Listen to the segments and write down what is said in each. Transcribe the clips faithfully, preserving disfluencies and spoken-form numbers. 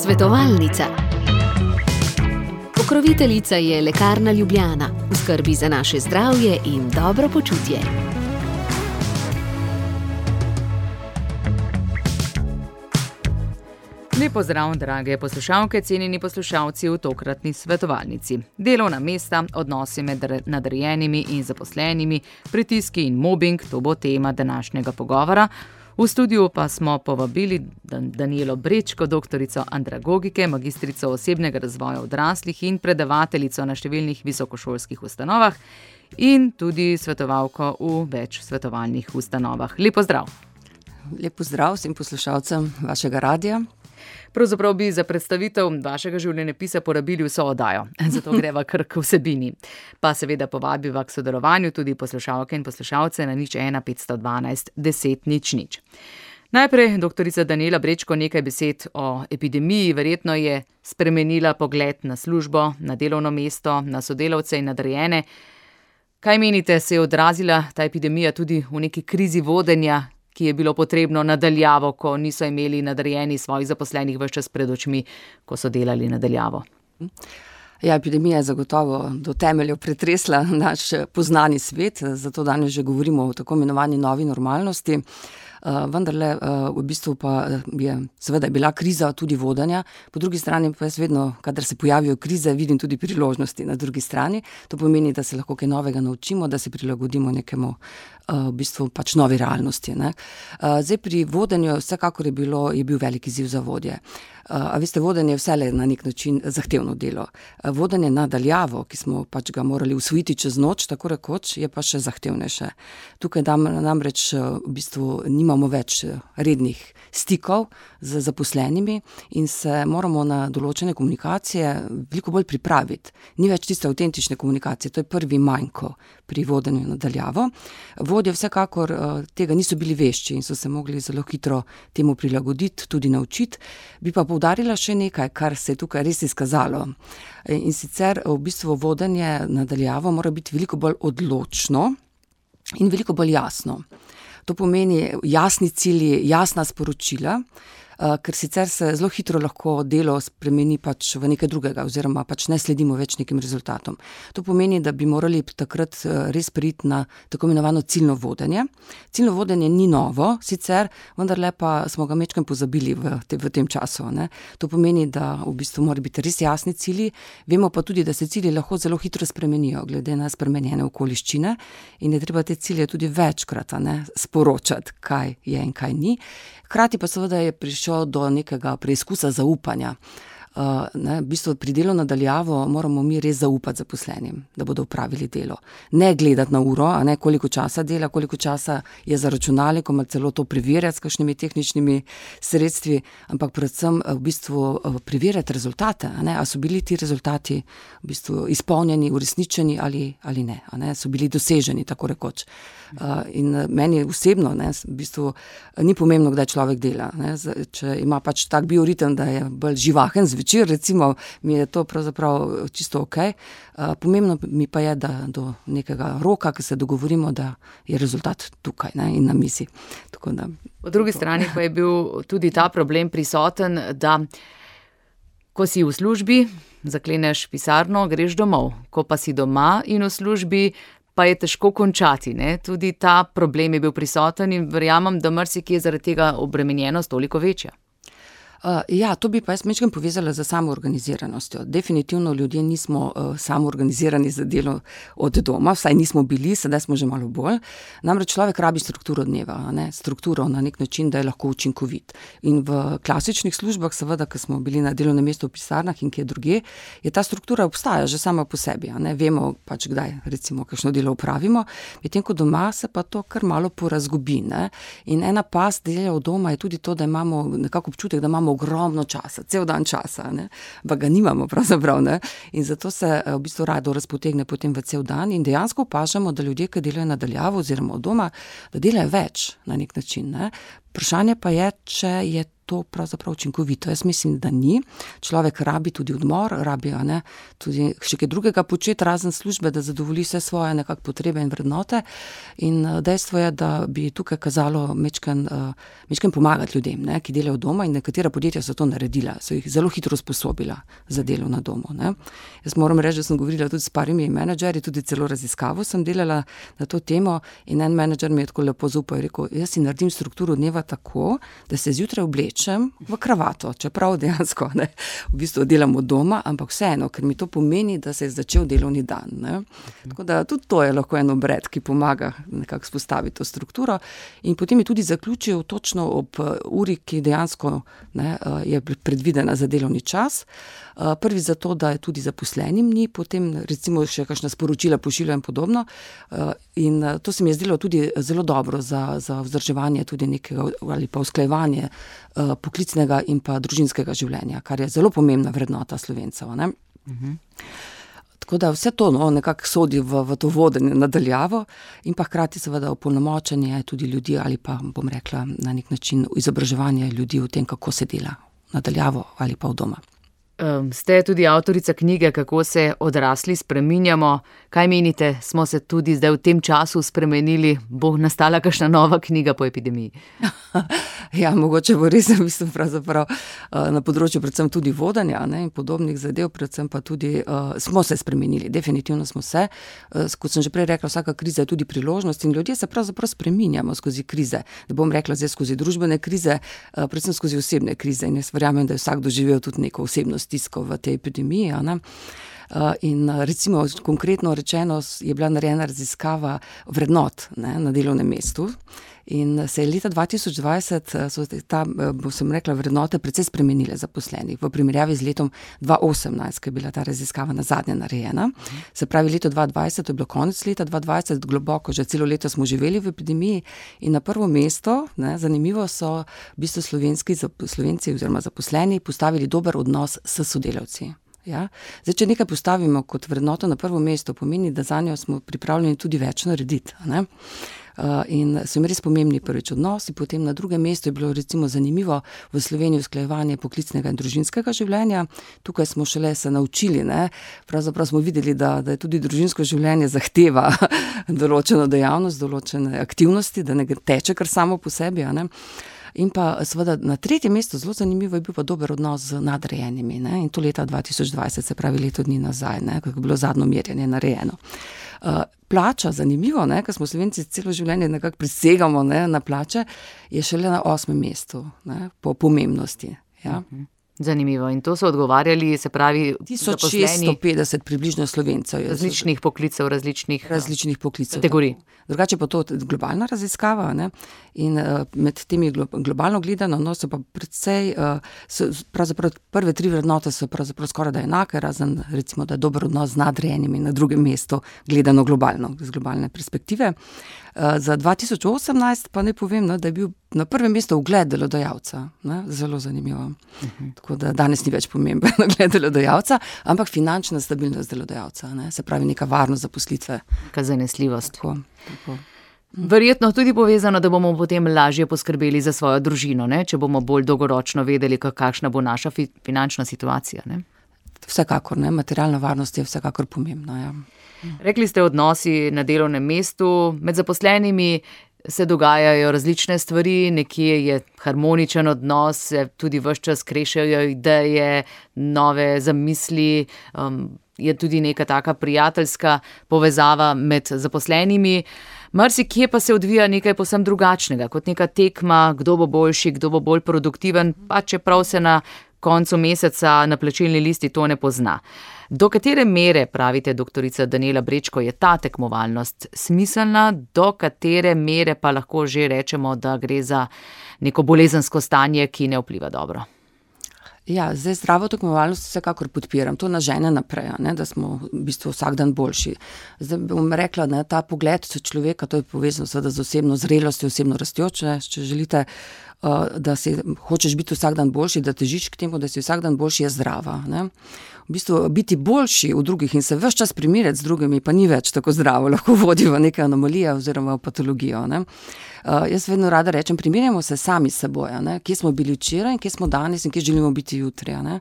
Svetovalnica. Pokroviteljica je Lekarna Ljubljana, v skrbi za naše zdravje in dobro počutje. Lep pozdrav, drage poslušalke, cenjeni poslušalci v tokratni svetovalnici. Delovna mesta, odnosi med nadrejenimi in zaposlenimi, pritiski in mobbing, to bo tema današnjega pogovora. V studiu pa smo povabili Danijelo Brečko, doktorico andragogike, magistrico osebnega razvoja odraslih in predavateljico na številnih visokošolskih ustanovah in tudi svetovalko v več svetovalnih ustanovah. Lep pozdrav. Lep pozdrav vsem poslušalcem vašega radija. Pravzaprav bi za predstavitev vašega življenjepisa porabili vso oddajo, zato greva kar k vsebini. Pa seveda povabiva k sodelovanju tudi poslušalke in poslušalce na nič ena petsto dvanajst deset nič nič. Najprej, doktorica Danijela Brečko, nekaj besed o epidemiji. Verjetno je spremenila pogled na službo, na delovno mesto, na sodelavce in nadrejene. Kaj menite, se je odrazila ta epidemija tudi v neki krizi vodenja, ki je bilo potrebno nadaljavo, ko niso imeli nadrejeni svojih zaposlenih ves čas pred očmi, ko so delali nadaljavo? Ja, epidemija je zagotovo do temeljev pretresla naš poznani svet, zato danes že govorimo o tako imenovani novi normalnosti. Uh, vendarle uh, v bistvu pa je seveda bila kriza tudi vodenja, po drugi strani pa jaz vedno, kadar se pojavijo krize, vidim tudi priložnosti na drugi strani. To pomeni, da se lahko kaj novega naučimo, da se prilagodimo nekemu uh, v bistvu pač novi realnosti. Ne? Uh, zdaj pri vodenju vsekakor je, bilo, je bil velik izziv za vodje. Uh, a veste, vodenje je vse na nek način zahtevno delo. Uh, vodenje nadaljavo, ki smo pač ga morali usvojiti čez noč, tako rekoč, je pa še zahtevnejše. Tukaj nam, namreč uh, v bistvu nimamo več rednih stikov z zaposlenimi in se moramo na določene komunikacije veliko bolj pripraviti. Ni več tiste avtentične komunikacije, to je prvi manjko pri vodenju nadaljavo. Vodje vsekakor uh, tega niso bili vešči in so se mogli zelo hitro temu prilagoditi, tudi naučiti. Bi pa poudarila še nekaj, kar se je tukaj res izkazalo. In sicer v bistvu vodenje nadaljavo mora biti veliko bolj odločno in veliko bolj jasno. To pomeni jasni cilji, jasna sporočila, ker sicer se zelo hitro lahko delo spremeni pač v nekaj drugega oziroma pač ne sledimo več nekim rezultatom. To pomeni, da bi morali takrat res priti na tako imenovano ciljno vodenje. Ciljno vodenje ni novo, sicer, vendarle pa smo ga mečkam pozabili v, te, v tem času. Ne. To pomeni, da v bistvu mora biti res jasni cilji, vemo pa tudi, da se cilji lahko zelo hitro spremenijo, glede na spremenjene okoliščine in je treba te cilje tudi večkrat ne, sporočati, kaj je in kaj ni. Hkrati pa seveda je prišel do nekega preizkusa zaupanja. Uh, ne, v bistvu pri delu nadaljavo moramo mi res zaupati zaposlenim, da bodo opravili delo. Ne gledati na uro, a ne koliko časa dela, koliko časa je za računalnikom, ali celo to preverjati s kakšnimi tehničnimi sredstvi, ampak predvsem v bistvu preverjati rezultate, a ne, a so bili ti rezultati v bistvu izpolnjeni, uresničeni ali, ali ne, a ne, so bili doseženi, tako rekoč. Uh, in meni osebno ne, v bistvu ni pomembno, kdaj človek dela. Ne, če ima pač tak bioritem, da je bolj živahen zvečer, recimo, mi je to pravzaprav čisto ok. Uh, pomembno mi pa je, da do nekega roka, ki se dogovorimo, da je rezultat tukaj ne, in na mizi. Tako da, po drugi to. strani pa je bil tudi ta problem prisoten, da ko si v službi, zakleneš pisarno, greš domov. Ko pa si doma in v službi, pa je težko končati. Ne? Tudi ta problem je bil prisoten in verjamem, da marsikje zaradi tega obremenjenost toliko večja. Uh, ja, to bi pa jaz mečkam povezala z samoorganiziranostjo. Definitivno ljudje nismo uh, samoorganizirani za delo od doma, vsaj nismo bili, sedaj smo že malo bolj. Namreč človek rabi strukturo dneva, ne? Strukturo na nek način, da je lahko učinkovit. In v klasičnih službah, seveda, ko smo bili na delovnem mestu v pisarnah in kje drugje, je ta struktura obstaja že sama po sebi. Ne? Vemo pač, kdaj recimo kakšno delo opravimo, medtem ko doma se pa to kar malo porazgubi. Ne? In ena past dela od doma je tudi to, da imamo nekako občutek, da imamo ogromno časa, cel dan časa, ne, pa ga nimamo pravzaprav, ne, in zato se v bistvu rado razpotegne potem v cel dan in dejansko opažamo, da ljudje, ki delajo nadaljavo oziroma od doma, da delajo več na nek način, ne. Vprašanje pa je, če je to pravzaprav učinkovito. Jaz mislim, da ni. Človek rabi tudi odmor, rabi ne, tudi še kaj drugega početi razen službe, da zadovolji vse svoje nekak potrebe in vrednote. In dejstvo je, da bi tukaj kazalo mečken, mečken pomagati ljudem, ne, ki delajo doma, in nekatera podjetja so to naredila, so jih zelo hitro usposobila za delo na domu. Ne. Jaz moram reči, da sem govorila tudi s parimi menedžerji, tudi celo raziskavo sem delala na to temo, in en menedžer mi je tako lepo zaupal, je rekel, jaz si naredim strukturo dneva tako, da se zjutraj oblečem v kravato, čeprav dejansko ne, v bistvu delam od doma, ampak vseeno, ker mi to pomeni, da se je začel delovni dan. Ne. Tako da tudi to je lahko en obred, ki pomaga nekako spostaviti to strukturo, in potem je tudi zaključil točno ob uri, ki dejansko ne, je predvidena za delovni čas. Prvi zato, da je tudi zaposlenim ni, potem recimo še kakšna sporočila pošilja in podobno. In to se mi je zdelo tudi zelo dobro za, za vzdrževanje tudi nekega ali pa usklajevanje poklicnega in pa družinskega življenja, kar je zelo pomembna vrednota Slovencev. Ne? Uh-huh. Tako da vse to no, nekako sodi v, v to vodenje nadaljavo in pa hkrati seveda opolnomočenje tudi ljudi ali pa, bom rekla, na nek način izobraževanje ljudi o tem, kako se dela nadaljavo ali pa v doma. Um, ste tudi avtorica knjige Kako se odrasli spreminjamo. Kaj menite, smo se tudi zdaj v tem času spremenili? Bo nastala kakšna nova knjiga po epidemiji? Ja, mogoče bo res, mislim, pravzaprav na področju predvsem tudi vodanja ne, in podobnih zadev, predvsem pa tudi uh, smo se spremenili, definitivno smo se. Uh, kot sem že prej rekla, vsaka kriza je tudi priložnost in ljudje se pravzaprav spreminjamo skozi krize. Ne bom rekla zdaj skozi družbene krize, uh, predvsem skozi osebne krize, in jaz verjamem, da je vsak doživel tudi neko osebno stisko v tej epidemiji. Ne? Uh, in recimo konkretno rečeno je bila narejena raziskava vrednot ne, na delovnem mestu. In se je leta dva tisoč dvajset so ta, bo sem rekla, vrednote precej spremenile zaposlenih v primerjavi z letom dva osemnajst, ko je bila ta raziskava nazadnje narejena. Se pravi, leto dva dvajset, to je bilo konec leta dva dvajset, globoko, že celo leto smo živeli v epidemiji in na prvo mesto, ne, zanimivo, so v bistvu slovenski Slovenci oziroma zaposleni postavili dober odnos s sodelavci. Ja? Zdaj, če nekaj postavimo kot vrednoto na prvo mesto, pomeni, da zanjo smo pripravljeni tudi več narediti. Ne? Uh, in so jim res pomembni prvič odnosi, potem na drugem mestu je bilo recimo zanimivo v Sloveniji usklajevanje poklicnega in družinskega življenja. Tukaj smo šele se naučili, ne? Pravzaprav smo videli, da, da je tudi družinsko življenje zahteva določeno dejavnost, določene aktivnosti, da ne teče kar samo po sebi, a ne? In pa seveda na tretjem mestu zelo zanimivo je bil pa dober odnos z nadrejenimi, ne? In to leta dva tisoč dvajset, se pravi leto dni nazaj, ne? Kako je bilo zadnjo merjenje narejeno. Uh, plača, zanimivo, ne? Ker smo Slovenci celo življenje nekako prisegamo ne? Na plače, je šele na osmem mestu ne? Po pomembnosti. Ja? Uh-huh. Zanimivo. In to so odgovarjali, se pravi, tisoč šeststo petdeset približno Slovencev. Različnih poklicev, različnih, različnih poklicev. Kategorij. Drugače pa to globalna raziskava, ne? In uh, med temi glo- globalno gledano, no, so pa predvsej, uh, so, pravzaprav prve tri vrednote so pravzaprav skoraj da enake, razen recimo, da je dober odnos z nadrejenimi na drugem mestu, gledano globalno, z globalne perspektive. Uh, za dva tisoč osemnajst pa ne povem, ne, da je bil na prvem mestu ugled delodajalca, ne? Zelo zanimivo. Uh-huh. Tako da danes ni več pomemben ugled delodajalca, ampak finančna stabilnost delodajalca, ne? Se pravi neka varnost zaposlitve. Neka zanesljivost. Tako, tako. Verjetno tudi povezano, da bomo potem lažje poskrbeli za svojo družino, ne? Če bomo bolj dolgoročno vedeli, kakšna bo naša fi- finančna situacija. Ne? Vsekakor, ne? Materialna varnost je vsekakor pomembna. Ja. Rekli ste odnosi na delovnem mestu, med zaposlenimi se dogajajo različne stvari, nekje je harmoničen odnos, se tudi ves čas krešajo ideje, nove zamisli, um, je tudi neka taka prijateljska povezava med zaposlenimi. Marsikje pa se odvija nekaj povsem drugačnega, kot neka tekma, kdo bo boljši, kdo bo bolj produktiven, pa čeprav se na koncu meseca na plačilni listi to ne pozna. Do katere mere, pravite doktorica Danijela Brečko, je ta tekmovalnost smiselna, do katere mere pa lahko že rečemo, da gre za neko bolezensko stanje, ki ne vpliva dobro? Ja, zdaj zdravo tekmovalnost vsekakor podpiram, to nas žene naprej, ne, da smo v bistvu vsak dan boljši. Zdaj bom rekla, ne, ta pogled človeka, to je povezano seveda z osebno zrelostjo, osebno rastjo, če, če želite, da si hočeš biti vsak dan boljši, da težiš k temu, da si vsak dan boljši, je zdrava, ne. V bistvu biti boljši v drugih in se ves čas primerjati z drugimi pa ni več tako zdravo, lahko vodi v neke anomalije oziroma v patologijo, ne. Uh, jaz vedno rada rečem, primerjamo se sami s seboj, ne, kje smo bili včeraj in kje smo danes in kje želimo biti jutri, ne.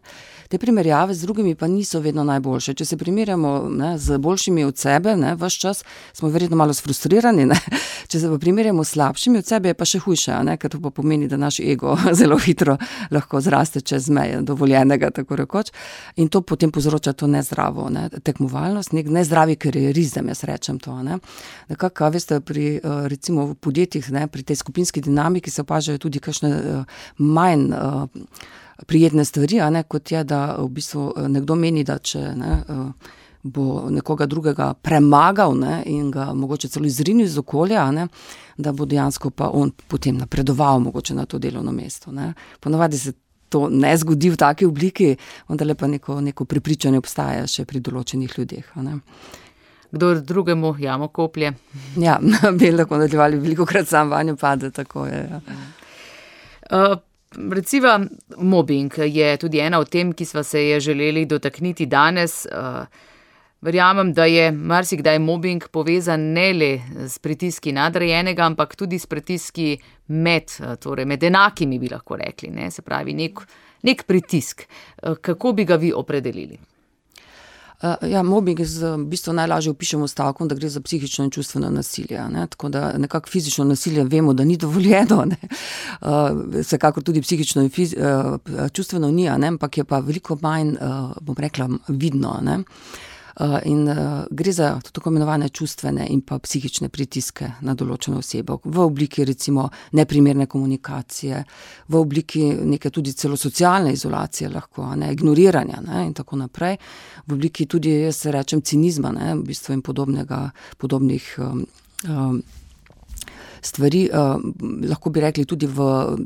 Te primerjave z drugimi pa niso vedno najboljše. Če se primerjamo, ne, z boljšimi od sebe, ne, ves čas, smo verjetno malo sfrustrirani, ne. Če se pa primerjamo s slabšimi od sebe, je pa še hujše, ne, ker to pa pomeni, da naš ego zelo hitro lahko zraste čez meje dovoljenega, tako rekoč, in to potem povzroča to nezdravo, ne, tekmovalnost, nek nezdravi karierizem, jaz rečem to, ne. Nekako, veste, pri, recimo v podjetjih, ne, pri tej skupinski dinamiki se opažajo tudi kakšne uh, manj uh, prijetne stvari, a ne, kot je, da v bistvu nekdo meni, da če ne, uh, bo nekoga drugega premagal, ne, in ga mogoče celo izrinil iz okolja, ne, da bo dejansko pa on potem napredoval mogoče na to delovno mesto, ne. Ponavadi se to ne zgodi v taki obliki, vendar pa neko, neko prepričanje obstaja še pri določenih ljudeh, a ne. Kdor drugemu jamo koplje. Ja, bi lahko nadaljevali, velikokrat sam vanjo pade, tako je. Ja. Uh, Reciva, mobbing je tudi ena od tem, ki sva se je želeli dotakniti danes. Uh, verjamem, da je marsikdaj mobbing povezan ne le s pritiski nadrejenega, ampak tudi s pritiski med, torej med enakimi, bi lahko rekli, ne? Se pravi, nek, nek pritisk. Uh, kako bi ga vi opredelili? Ja, mobbing z, v bistvu najlažje opišemo stavkom, da gre za psihično in čustveno nasilje, ne, tako da nekako fizično nasilje vemo, da ni dovoljeno, ne, uh, vsekakor tudi psihično in fiz, uh, čustveno ni, ne, ampak je pa veliko manj, uh, bom rekla, vidno, ne. Uh, in uh, gre za tako imenovane čustvene in pa psihične pritiske na določeno osebo v obliki recimo neprimerne komunikacije, v obliki neke tudi celo socialne izolacije lahko, ne, ignoriranja, ne, in tako naprej, v obliki tudi, jaz se rečem, cinizma, ne, v bistvu in podobnega, podobnih um, um, stvari, uh, lahko bi rekli tudi v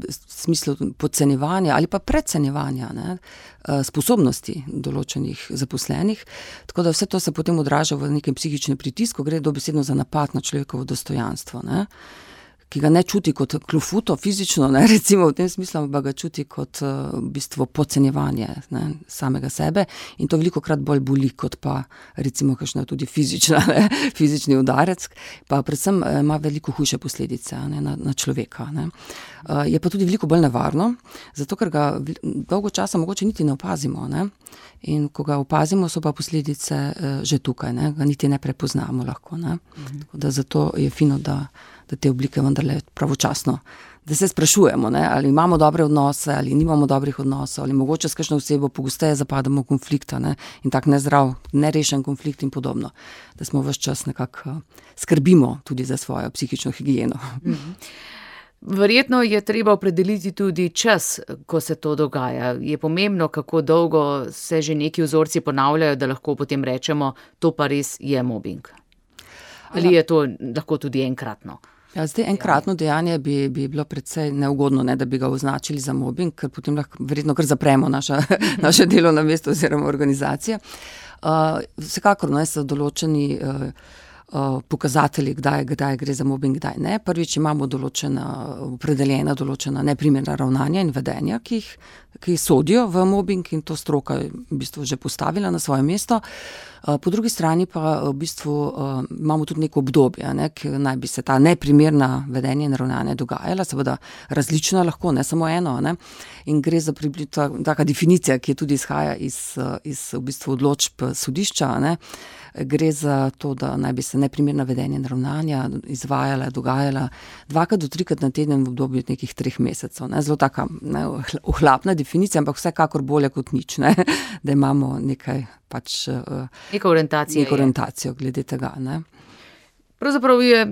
smislu podcenjevanja ali pa precenjevanja, ne, uh, sposobnosti določenih zaposlenih, tako da vse to se potem odraža v nekem psihičnem pritisku, gre dobesedno za napad na človekovo dostojanstvo, ne, ki ga ne čuti kot klofuto fizično, ne, recimo v tem smislu, pa ga čuti kot uh, v bistvu podcenjevanje, ne, samega sebe, in to velikokrat bolj boli kot pa recimo kakšna tudi fizična, ne, fizični udarec, pa predvsem ima veliko hujše posledice, ne, na, na človeka, ne. Uh, je pa tudi veliko bolj nevarno, zato ker ga dolgo časa mogoče niti ne opazimo, ne, in ko ga opazimo, so pa posledice uh, že tukaj, ne, ga niti ne prepoznamo lahko, ne. Mhm. Tako da zato je fino, da da te oblike vendarle pravočasno, da se sprašujemo, ne, ali imamo dobre odnose, ali nimamo dobrih odnosov, ali mogoče s kakšno osebo pogosteje zapadamo v konflikta, ne, in tak nezdrav, nerešen konflikt in podobno, da smo ves čas nekako skrbimo tudi za svojo psihično higieno. Mhm. Verjetno je treba opredeliti tudi čas, ko se to dogaja. Je pomembno, kako dolgo se že neki vzorci ponavljajo, da lahko potem rečemo, to pa res je mobbing. Ali je to lahko tudi enkratno? Ja, zdaj enkratno dejanje bi, bi bilo predvsej neugodno, ne, da bi ga označili za mobbing, ker potem lahko verjetno kar zapremo naša, naše delovno mesto oziroma organizacije. Uh, vsekakor, ne, so določeni uh, uh, pokazatelji, kdaj, kdaj gre za mobbing, kdaj ne. Prvič imamo določena, opredeljena določena neprimerna ravnanja in vedenja, ki jih, ki sodijo v mobbing, in to stroka je v bistvu že postavila na svoje mesto. Po drugi strani pa v bistvu uh, imamo tudi neko obdobje, ne, ki naj bi se ta neprimerna vedenja in ravnanja dogajala, seveda različna lahko, ne samo eno, ne, in gre za približno taka definicija, ki je tudi izhaja iz, iz v bistvu odločb sodišča, ne. Gre za to, da naj bi se neprimerna vedenja in ravnanja izvajala, dogajala dvakrat do trikrat na teden v obdobju nekih treh mesecev, ne. Zelo taka, ne, ohlapna definicija, ampak vsekakor bolje kot nič, ne, da imamo nekaj pač Neka orientacija neko orientacijo glede tega, ne. Pravzaprav je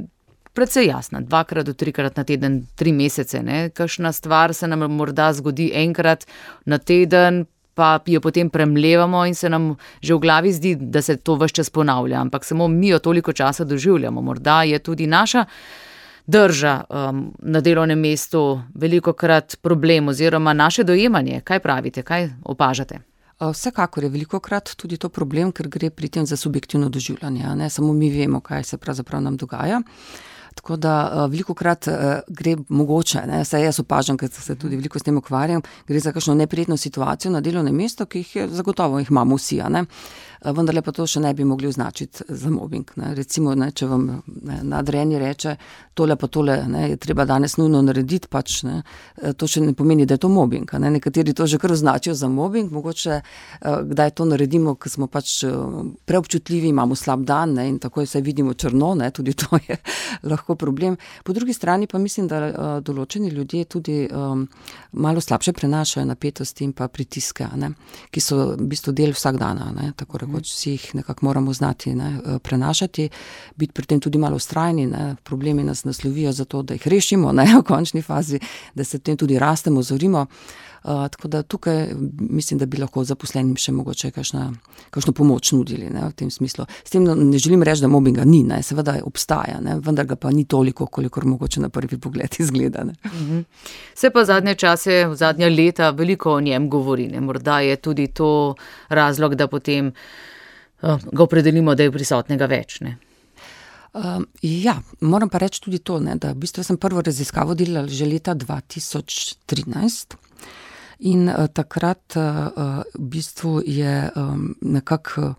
precej jasna, dvakrat do trikrat na teden, tri mesece, ne. Kakšna stvar se nam morda zgodi enkrat na teden, pa jo potem premlevamo in se nam že v glavi zdi, da se to ves čas ponavlja, ampak samo mi jo toliko časa doživljamo. Morda je tudi naša drža um, na delovnem mestu velikokrat problem oziroma naše dojemanje. Kaj pravite, kaj opažate? Vsekakor je velikokrat tudi to problem, ker gre pri tem za subjektivno doživljanje, ne, samo mi vemo, kaj se pravzaprav nam dogaja. Tako da veliko krat gre mogoče, ne, saj jaz opažam, ker se tudi veliko s tem ukvarjam, gre za kakšno neprijetno situacijo na delovnem mestu, ki jih je, zagotovo jih imamo vsi, a ne. Vendarle pa to še ne bi mogli označiti za mobbing. Ne. Recimo, ne, če vam ne, nadrejeni reče, tole pa tole ne, je treba danes nujno narediti, pač, ne, to še ne pomeni, da je to mobbing. Ne. Nekateri to že kar označijo za mobbing, mogoče kdaj to naredimo, ker smo pač preobčutljivi, imamo slab dan, ne, in takoj se vidimo črno, ne, tudi to je lahko problem. Po drugi strani pa mislim, da določeni ljudje tudi um, malo slabše prenašajo napetosti in pa pritiske, ne, ki so v bistvu del vsak dana, ne, tako rekoč vsi jih nekako moramo znati, ne, prenašati, biti pri tem tudi malo vztrajni, ne, problemi nas naslovijo za to, da jih rešimo, ne, v končni fazi, da se v tem tudi rastemo, zorimo. Uh, tako da tukaj mislim, da bi lahko zaposlenim še mogoče kakšna, kakšno pomoč nudili, ne, v tem smislu. S tem ne želim reči, da mobbinga ni, ne, seveda obstaja, ne, vendar ga pa ni toliko, kolikor mogoče na prvi pogled izgleda. Ne. Mhm. Se pa zadnje čase, v zadnja leta veliko o njem govori, ne, morda je tudi to razlog, da potem uh, ga opredelimo, da je prisotnega več, ne. Uh, ja, moram pa reči tudi to, ne, da v bistvu sem prvo raziskavo delala že leta dva tisoč trinajst. In uh, takrat uh, v bistvu je um, nekako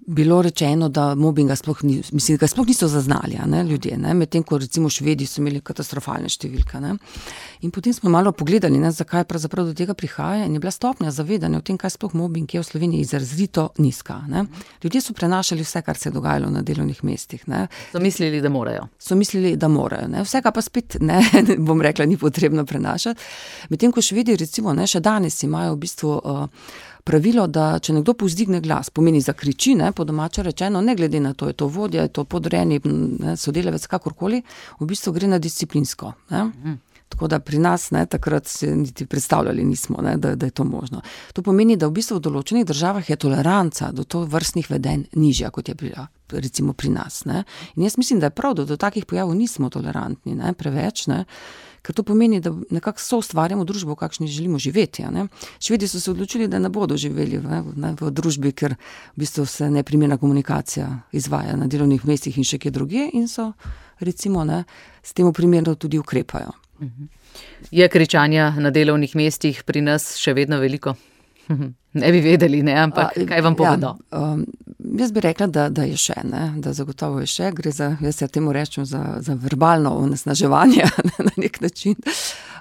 bilo rečeno, da mobbinga sploh ni, mislim, ga sploh niso zaznali, ne, ljudje, ne, medtem ko recimo Švedi so imeli katastrofalne številke, ne. In potem smo malo pogledali, ne, zakaj pravzaprav do tega prihaja in je bila stopnja zavedanja o tem, kaj sploh mobbing je v Sloveniji, izrazito nizka, ne. Ljudje so prenašali vse, kar se je dogajalo na delovnih mestih, ne. So mislili, da morajo. So mislili, da morajo, ne. Vsega pa spet, ne, bom rekla, ni potrebno prenašati. Medtem ko Švedi recimo, ne, še danes imajo v bistvu uh, pravilo, da če nekdo povzdigne glas, pomeni zakriči, ne, po domače rečeno, ne glede na to, je to vodja, je to podrejeni, ne, sodelavec, kakorkoli, v bistvu gre na disciplinsko, ne. Mm. Tako da pri nas, ne, takrat se niti predstavljali nismo, ne, da, da je to možno. To pomeni, da v bistvu v določenih državah je toleranca do to vrstnih vedenj nižja, kot je bila, recimo pri nas, ne. In jaz mislim, da je prav, da do takih pojavov nismo tolerantni, ne, preveč, ne. Ker to pomeni, da nekako soustvarjamo družbo, v kakšni želimo živeti. Ne? Švedi so se odločili, da ne bodo živeli v, ne, v družbi, ker v bistvu se neprimerna komunikacija izvaja na delovnih mestih in še kje drugje in so recimo, ne, s tem primerno tudi ukrepajo. Je kričanja na delovnih mestih pri nas še vedno veliko? Ne bi vedeli, ne, ampak kaj vam povedo? Ja, um, jaz bi rekla, da, da je še, ne, da zagotovo je še, gre za, jaz ja temu rečem, za, za verbalno onesnaževanje na nek način.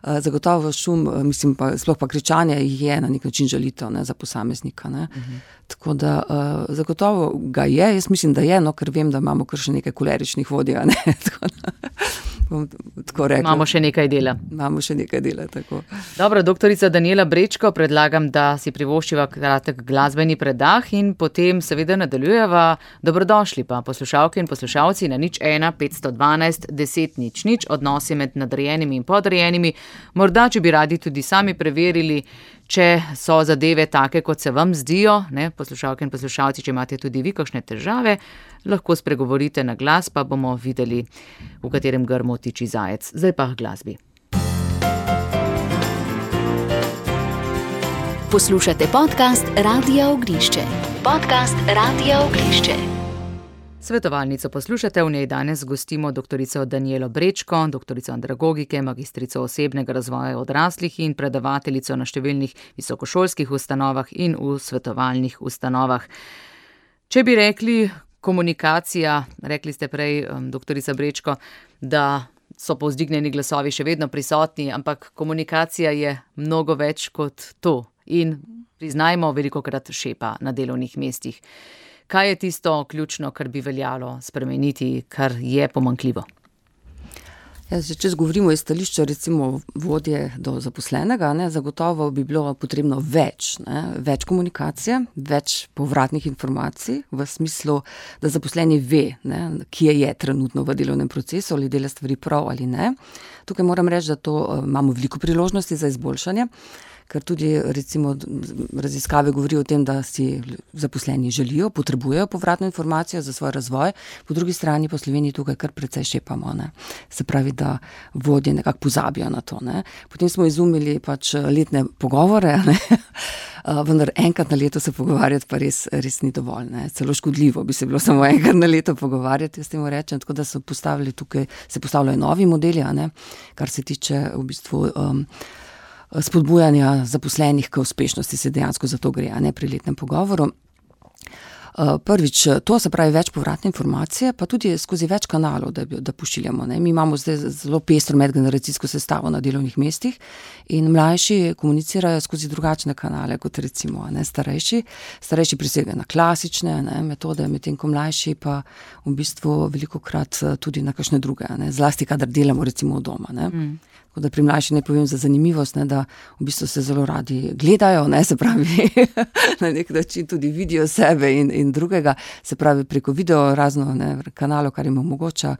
Uh, zagotovo šum, mislim pa, sploh pa kričanje je na nek način žalitev, ne, za posameznika, ne. Uh-huh. Tako da uh, zagotovo ga je, jaz mislim, da je, no, ker vem, da imamo kar še nekaj koleričnih vodij, ne, tako da bom tako rekla. Imamo še nekaj dela. Imamo še nekaj dela, tako. Dobro, doktorica Danijela Brečko, predlagam, da si privoščiva kratek glasbeni predah in potem seveda nadaljujeva. Dobrodošli pa poslušalke in poslušalci na nič ena petsto dvanajst deset nič nič, odnosi med nadrejenimi in podrejenimi. Morda, če bi radi tudi sami preverili, če so zadeve take, kot se vam zdijo, ne, poslušalke in poslušalci, če imate tudi vi kakšne težave, lahko spregovorite na glas, pa bomo videli, v katerem grmu tiči zajec. Zdaj pa glasbi. Poslušate podcast Radia Ognišče. Podcast Radia Ognišče. Svetovalnico poslušate, v njej danes gostimo doktorico Danijelo Brečko, doktorico andragogike, magistrico osebnega razvoja odraslih in predavateljico na številnih visokošolskih ustanovah in v svetovalnih ustanovah. Če bi rekli komunikacija, rekli ste prej, doktorica Brečko, da so povzdignjeni glasovi še vedno prisotni, ampak komunikacija je mnogo več kot to in priznajmo, velikokrat šepa na delovnih mestih. Kaj je tisto ključno, kar bi veljalo spremeniti, kar je pomanjkljivo? Ja, če govorimo iz stališča recimo vodje do zaposlenega, ne, zagotovo bi bilo potrebno več, ne, več komunikacije, več povratnih informacij v smislu, da zaposleni ve, ne, kje je trenutno v delovnem procesu, ali dela stvari prav ali ne. Tukaj moram reči, da to imamo veliko priložnosti za izboljšanje, ker tudi recimo raziskave govorijo o tem, da si zaposleni želijo, potrebujejo povratno informacijo za svoj razvoj, po drugi strani pa v Sloveniji tukaj kar precej šepamo, ne. Se pravi, da vodje nekako pozabijo na to, ne. Potem smo izumili pač letne pogovore, ne. vendar enkrat na leto se pogovarjati pa res, res ni dovolj, ne. Celo škodljivo bi se bilo samo enkrat na leto pogovarjati, jaz temu rečem, tako da so postavili tukaj, se postavljajo novi modeli, a ne, kar se tiče v bistvu um, spodbujanja zaposlenih k uspešnosti, se dejansko za to gre, a ne, pri letnem pogovoru. Prvič, to se pravi več povratne informacije, pa tudi skozi več kanalov, da, da pošiljamo, ne. Mi imamo zdaj zelo pestro medgeneracijsko sestavo na delovnih mestih in mlajši komunicirajo skozi drugačne kanale, kot recimo, ne, starejši. Starejši prisegajo na klasične, ne, metode, medtem ko mlajši pa v bistvu velikokrat tudi na kakšne druge, ne, zlasti kadar delamo recimo od doma, ne. Mm. Tako da pri mlajši ne povem za zanimivost, ne, da v bistvu se zelo radi gledajo, ne, se pravi na nek način tudi vidijo sebe in, in drugega, se pravi preko video razno, ne, kanalov, kar jim omogoča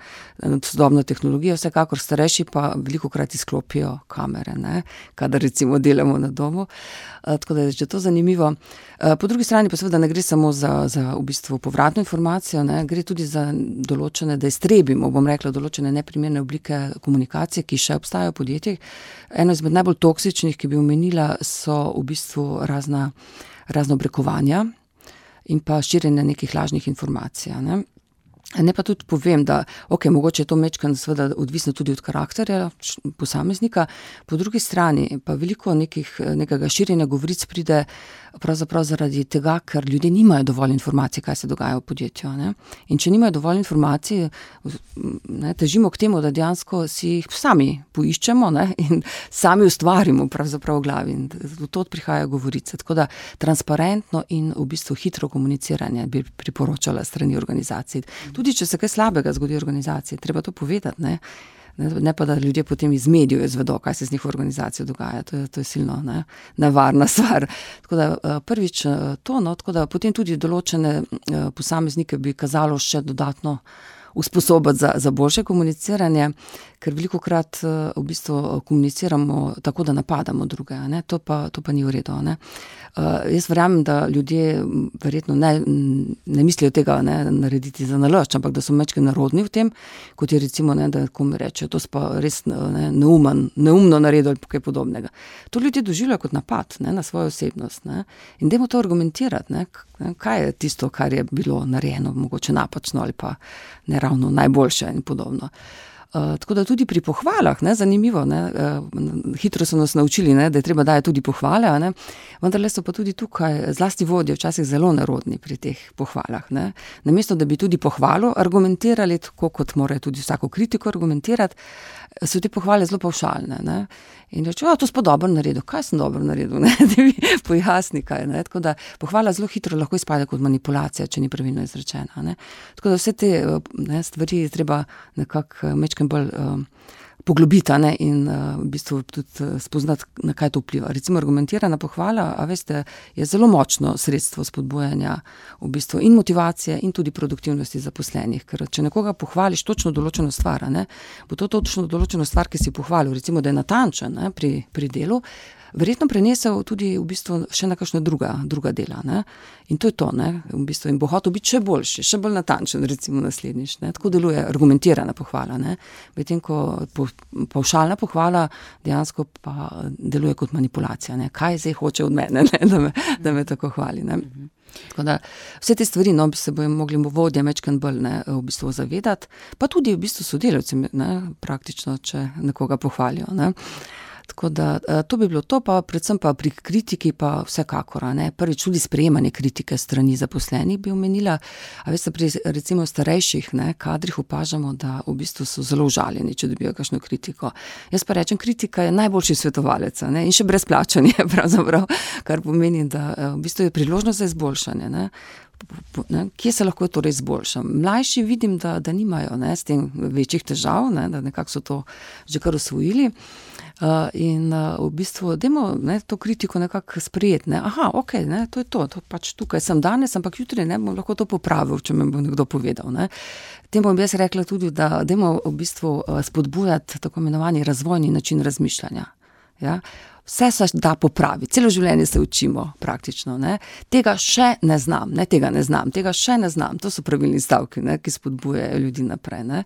sodobno tehnologijo, vsekakor starejši pa velikokrat izklopijo kamere, ne, kadar recimo delamo na domu, tako da je že to zanimivo. Po drugi strani pa seveda ne gre samo za, za v bistvu povratno informacijo, ne, gre tudi za določene, da iztrebimo, bom rekla, določene neprimerne oblike komunikacije, ki še obstajajo podjetjih. Eno izmed najbolj toksičnih, ki bi omenila, so v bistvu razna, razna obrekovanja in pa širjenje nekih lažnih informacij, ne. Ne pa tudi povem, da ok, mogoče je to majčkeno seveda odvisno tudi od karakterja posameznika, po drugi strani pa veliko nekih, nekega širjenja govoric pride pravzaprav zaradi tega, ker ljudje nimajo dovolj informacij, kaj se dogaja v podjetju, ne. In če nimajo dovolj informacij, ne, težimo k temu, da dejansko si jih sami poiščemo, ne, in sami ustvarimo pravzaprav v glavi in od tod prihajajo govorice. Tako da transparentno in v bistvu hitro komuniciranje bi priporočala strani organizacij. Tudi če se kaj slabega zgodi v organizaciji, treba to povedati, ne. Ne pa, da ljudje potem iz medijev izvedo, kaj se z njihovo organizacijo dogaja. To je, to je silno, ne, nevarna stvar. Tako da prvič to, no, tako da potem tudi določene posameznike bi kazalo še dodatno usposobiti za, za boljše komuniciranje, ker velikokrat v bistvu komuniciramo tako, da napadamo druge, ne, to pa, to pa ni v redu, ne. Uh, jaz verjamem, da ljudje verjetno ne, ne mislijo tega, ne, narediti za nalašč, ampak da so majčkeno narodni v tem, kot je recimo, ne, da komu rečejo, to pa res, ne, neumen, neumno naredil ali kaj podobnega. To ljudje doživljajo kot napad, ne, na svojo osebnost, ne, in dajmo to argumentirati, ne, kaj je tisto, kar je bilo narejeno, mogoče napačno ali pa ne ravno najboljše in podobno. Uh, tako da tudi pri pohvalah, ne, zanimivo, ne, uh, hitro so nas naučili, ne, da je treba dajati tudi pohvale, ne, vendarle so pa tudi tukaj zlasti vodje včasih zelo nerodni pri teh pohvalah, ne. Namesto, da bi tudi pohvalo argumentirali, tako kot morajo tudi vsako kritiko argumentirati, so te pohvale zelo pavšalne, ne. In reče, o, to si pa dobro naredil, kaj sem dobro naredil, ne, da mi pojasni kaj, ne, tako da pohvala zelo hitro lahko izpade kot manipulacija, če ni pravilno izrečena, ne. Tako da vse te, ne, stvari treba nekako majčkeno bolj um, poglobiti, ne, in uh, v bistvu tudi spoznati, na kaj to vpliva. Recimo argumentirana pohvala, a veste, je zelo močno sredstvo spodbujanja v bistvu in motivacije in tudi produktivnosti zaposlenih, ker če nekoga pohvališ točno določeno stvar, ne, bo to točno določeno stvar, ki si pohvalil, recimo, da je natančen, ne, pri, pri delu, verjetno prenesel tudi v bistvu še na kakšna druga, druga dela, ne. In to je to, ne, v bistvu, in bo hotel biti še boljši, še bolj natančen, recimo naslednjič, ne. Tako deluje argumentirana pohvala, ne. Medtem ko po, pavšalna pohvala dejansko pa deluje kot manipulacija, ne. Kaj zdaj hoče od mene, ne, da me, da me tako hvali, ne. Tako da vse te stvari, no, bi se bojo mogli vodje majčkeno bolj, ne, v bistvu zavedati, pa tudi v bistvu sodelavci, ne, praktično, če nekoga pohvalijo, ne. Tako da to bi bilo to, pa predvsem pa pri kritiki pa vsekakor, ne, prvič tudi sprejemanje kritike strani zaposlenih bi omenila, a veste, pri recimo starejših, ne, kadrih opažamo, da v bistvu so zelo užaljeni, če dobijo kakšno kritiko. Jaz pa rečem, kritika je najboljši svetovalec, ne, in še brezplačan je pravzaprav, kar pomeni, da v bistvu je priložnost za izboljšanje, ne. Ne, kje se lahko torej izboljšam? Mlajši vidim, da, da nimajo, ne, s tem večjih težav, ne, da nekako so to že kar osvojili. Uh, in uh, v bistvu dajmo, ne, to kritiko nekako sprejeti, ne. Aha, ok, ne, to je to, to pač tukaj sem danes, ampak jutri, ne, bom lahko to popravil, če me bo nekdo povedal, ne. Tem bom jaz rekla tudi, da dajmo v bistvu spodbujati tako imenovani razvojni način razmišljanja. Ja? Vse se da popraviti, celo življenje se učimo praktično. Ne. Tega še ne znam, ne, tega ne znam, tega še ne znam. To so pravilni stavki, ne, ki spodbujajo ljudi naprej. Ne.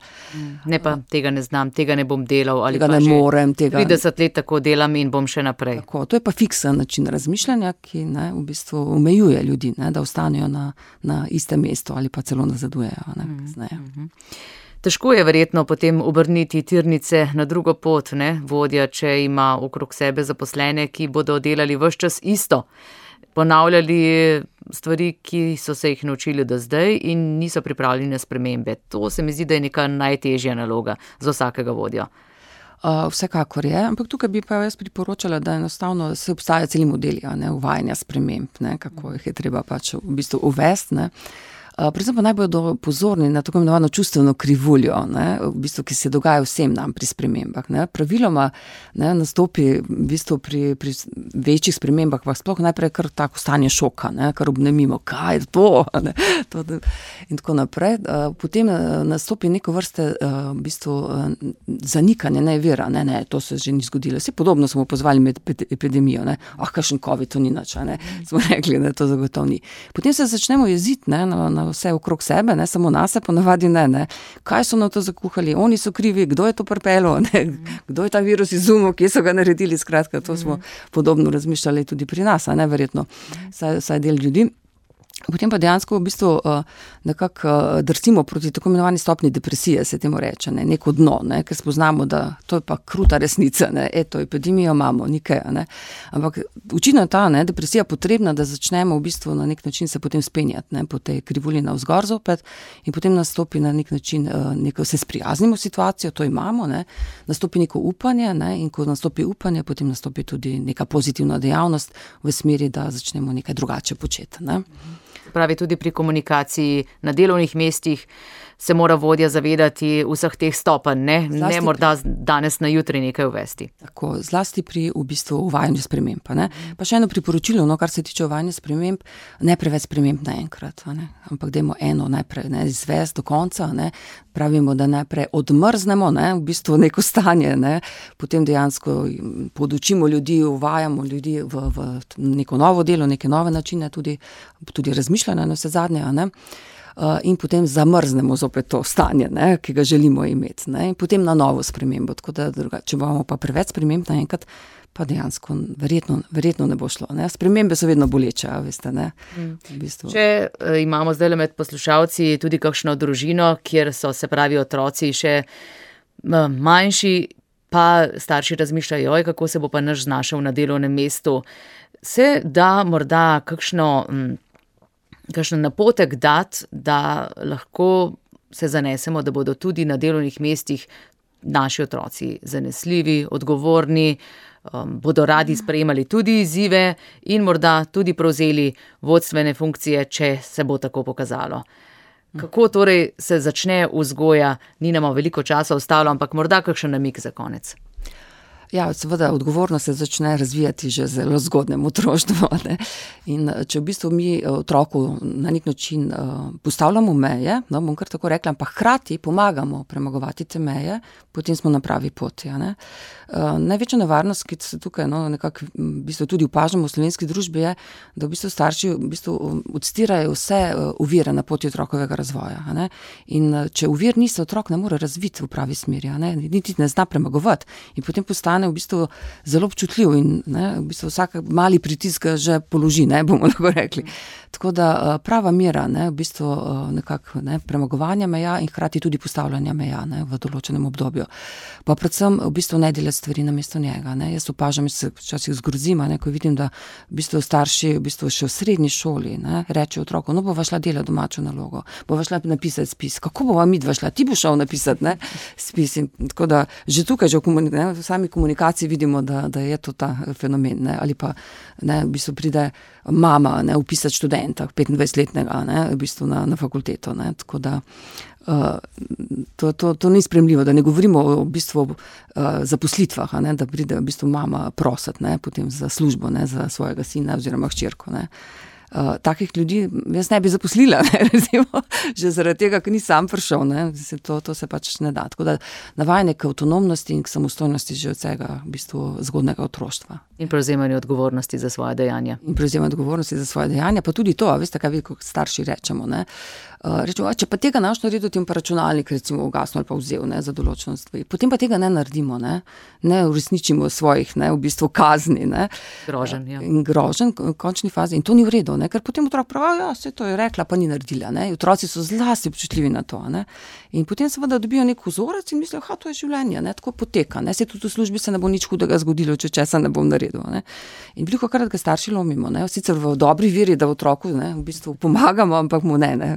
ne pa tega ne znam, tega ne bom delal ali tega pa ne že morem, tega trideset let tako delam in bom še naprej. Tako, to je pa fiksen način razmišljanja, ki ne, v bistvu omejuje ljudi, ne, da ostanejo na, na istem mestu ali pa celo nazadujejo. Ne, mm-hmm. Težko je verjetno potem obrniti tirnice na drugo pot, ne, vodja, če ima okrog sebe zaposlene, ki bodo delali ves čas isto, ponavljali stvari, ki so se jih naučili do zdaj in niso pripravljeni na spremembe. To se mi zdi, da je neka najtežja naloga za vsakega vodja. Uh, vsekakor je, ampak tukaj bi pa jaz priporočala, da enostavno se obstaja celi modeli, ne, uvajanja sprememb, ne, kako jih je treba pač v bistvu uvesti, ne. Uh, predvsem pa naj bodo pozorni na tako imenovano čustveno krivuljo, ne, v bistvu, ki se dogaja vsem nam pri spremembah. Ne. Praviloma ne, nastopi v bistvu pri, pri večjih spremembah, pa sploh najprej kar tako stanje šoka, ne, kar obnemimo, kaj je to, ne, to in tako naprej. Uh, potem uh, nastopi neko vrste uh, v bistvu uh, zanikanje, ne vira, ne, ne, to se že ni zgodilo. Vse podobno smo pozvali med epidemijo, ne, ah, kakšen COVID, to ni nič, ne, smo rekli, da to zagotovo ni. Potem se začnemo jeziti, ne, na, na vse okrog sebe, ne, samo nas se ponavadi ne, ne. Kaj so na to zakuhali? Oni so krivi, kdo je to pripelo, ne, kdo je ta virus izumil, kje so ga naredili, skratka, to smo podobno razmišljali tudi pri nas, a ne, verjetno, saj, saj del ljudi. Potem pa dejansko v bistvu uh, nekako uh, drsimo proti tako imenovani stopni depresije, se temu reče, ne, neko dno, ne, ker spoznamo, da to je pa kruta resnica, ne, eto, epidemijo imamo, nikaj, ne. Ampak očitno je ta, ne, depresija potrebna, da začnemo v bistvu na nek način se potem spenjati, ne, po tej krivulji navzgor zopet in potem nastopi na nek način, uh, neko se sprijaznimo situacijo, to imamo, ne, nastopi neko upanje, ne, in ko nastopi upanje, potem nastopi tudi neka pozitivna dejavnost v smeri, da začnemo nekaj drugače početi, ne. Pravi, tudi pri komunikaciji na delovnih mestih se mora vodja zavedati vseh teh stopenj, ne, ne morda danes na jutri nekaj uvesti. Tako, zlasti pri v bistvu uvajanju sprememb, ne. Pa še eno priporočilo, no, kar se tiče uvajanja sprememb, ne preveč sprememb naenkrat, ne, ampak dajmo eno najprej, ne, izvesti do konca, ne, pravimo, da najprej odmrznemo, ne, v bistvu neko stanje, ne, potem dejansko podučimo ljudi, uvajamo ljudi v, v neko novo delo, neke nove načine, tudi, tudi razmišljanja na vse zadnje, ne. Uh, in potem zamrznemo zopet to stanje, ne, ki ga želimo imeti, ne, in potem na novo spremembo, tako da druga, če bomo pa preveč sprememb naenkrat, pa dejansko verjetno, verjetno ne bo šlo, ne, spremembe so vedno boleče, veste, ne, v bistvu. Če uh, imamo zdaj med poslušalci tudi kakšno družino, kjer so, se pravi, otroci še uh, manjši, pa starši razmišljajo, joj, kako se bo pa naš znašel na delovnem mestu, se da morda kakšno um, kakšen napotek dati, da lahko se zanesemo, da bodo tudi na delovnih mestih naši otroci zanesljivi, odgovorni, um, bodo radi sprejemali tudi izzive in morda tudi prevzeli vodstvene funkcije, če se bo tako pokazalo. Kako torej se začne vzgoja, ni nam veliko časa ostalo, ampak morda kakšen namig za konec. Ja, seveda, odgovornost se začne razvijati že zelo zgodnem otroštvu, ne. In če v bistvu mi otroku na nek način uh, postavljamo meje, no, bom kar tako rekla, pa hkrati pomagamo premagovati te meje, potem smo na pravi poti, ne. Uh, največja nevarnost, ki se tukaj, no, nekako v bistvu tudi opažamo v slovenski družbi, je, da v bistvu starši v bistvu odstirajo vse ovire na poti otrokovega razvoja, ne. In če ovir ni, se otrok ne more razviti v pravi smeri, ne, niti ne zna premagovati in potem postane v bistvu zelo občutljiv in, ne, v bistvu vsak mali pritisk ga že položi, ne, bomo lahko rekli. Tako da prava mera, ne, v bistvu nekako, ne, premagovanja meja in hkrati tudi postavljanja meja, ne, v določenem obdobju. Pa predvsem v bistvu ne delati stvari namesto njega, ne. Jaz opažam, jaz se včasih zgrozim, ne, ko vidim, da v bistvu starši v bistvu še v srednji šoli, ne, rečejo otroku, no, bova šla delati domačo nalogo, bova šla napisati spis. Kako bova midva šla? Ti bo šel napisati, ne, spis. In tako da že tukaj, že v, komunik- ne, v sami komunikaciji vidimo, da, da je to ta fenomen, ne, ali pa, ne, v bistvu pride mama, ne, upisati študenta, petindvajsetletnega, ne, v bistvu na, na fakulteto, ne, tako da uh, to, to, to ni sprejemljivo, da ne govorimo o v bistvu uh, zaposlitvah, ne, da pride v bistvu mama prositi, ne, potem za službo, ne, za svojega sina oziroma hčerko, ne. uh, takih ljudi jaz ne bi zaposlila, ne, recimo, že zaradi tega, ker ni sam prišel, ne, se to, to se pač ne da. Tako da navajanje k avtonomnosti in k samostojnosti že od vsega v bistvu zgodnega otroštva. In prevzemanje odgovornosti za svoje dejanja. In prevzemanje odgovornosti za svoje dejanja, pa tudi to, a veste, kaj vi kot starši rečemo, ne. Uh, rečemo, če pa tega naš naredil, ti pa računalnik recimo ugasnil ali pa vzel, ne, za določeno stvari. Potem pa tega ne naredimo, ne, ne uresničimo svojih, ne, v bistvu kazni, ne. Grožen, ja. In grožen v končni fazi. In to ni v redu, ne, ker potem otrok pravi, ja, se to je rekla, pa ni naredila, ne. Otroci so zlasti občutljivi na to, ne. In potem seveda dobijo nek vzorec in mislijo, ha, to je življenje, ne, tako poteka, ne, se tudi v službi se ne bo nič hudega zgodilo, če česa ne bom naredil, ne. In velikokrat ga starši lomimo, ne, sicer v dobri veri, da v otroku, ne, v bistvu pomagamo, ampak mu ne, ne.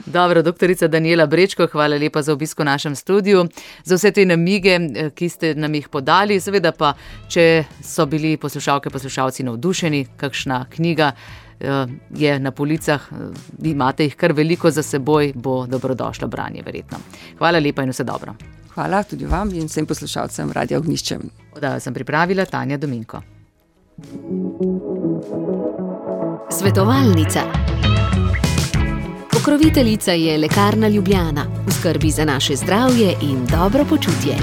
Dobro, doktorica Danijela Brečko, hvala lepa za obisk v našem studiu, za vse te namige, ki ste nam jih podali. Seveda pa, če so bili poslušalke, poslušalci navdušeni, kakšna knjiga je na policah, imate jih kar veliko za seboj, bo dobrodošlo branje verjetno. Hvala lepa in vse dobro. Hvala tudi vam in vsem poslušalcem Radia Ognjišče. Oddajo sem pripravila Tanja Dominko. Svetovalnica. Pokroviteljica je Lekarna Ljubljana, v skrbi za naše zdravje in dobro počutje.